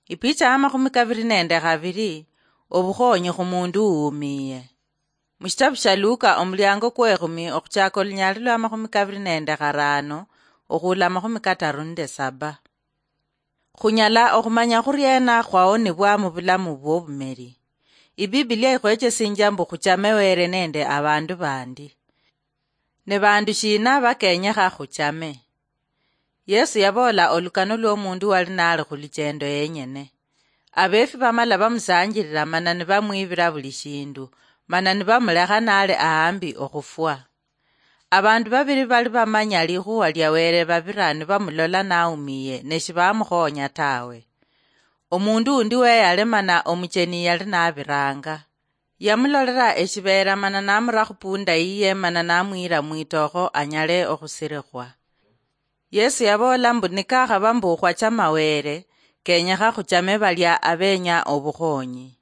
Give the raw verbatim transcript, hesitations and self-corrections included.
Ipicha ya makhumi kabiri nende khabiri. Obukhonyi khu mundu uwumiye. Mushitabu sha Luka, omuliango kwekhumi, okhuchaka olunyali lwa makhumi kabiri nende kharano, okhula makhumi kataru nende saba. Khunyala okhumanya khuriena khwawonebwa mu bulamu bw'obumeri? Ibibilia ikhwechesinjia mbu khuchame Were nende abandu bandi. Ne bandu shina bakenyekha khuchame? Yesu yaboola olukano lw'omundu wali nali khu luchendo yenyene. Abeefi bamala bamusanjilila mana nibamwibila buli shindu, mana nibamulekha nali ahambi okhufwa. Abandu babili bali bamanya likhuwa lia Were babira nibamulola naumiye, ne shibamukhonya tawe. Omundu undi weyale mana omucheni yali nabiranga. Yamulolera eshibeera mana namura khupunda yiye mana namwira mwitokho anyale okhusirikhwa. Yesu yaboola mbu nikakhaba mbu khwachama Were, kenyekha khuchame balia abenya obukhonyi.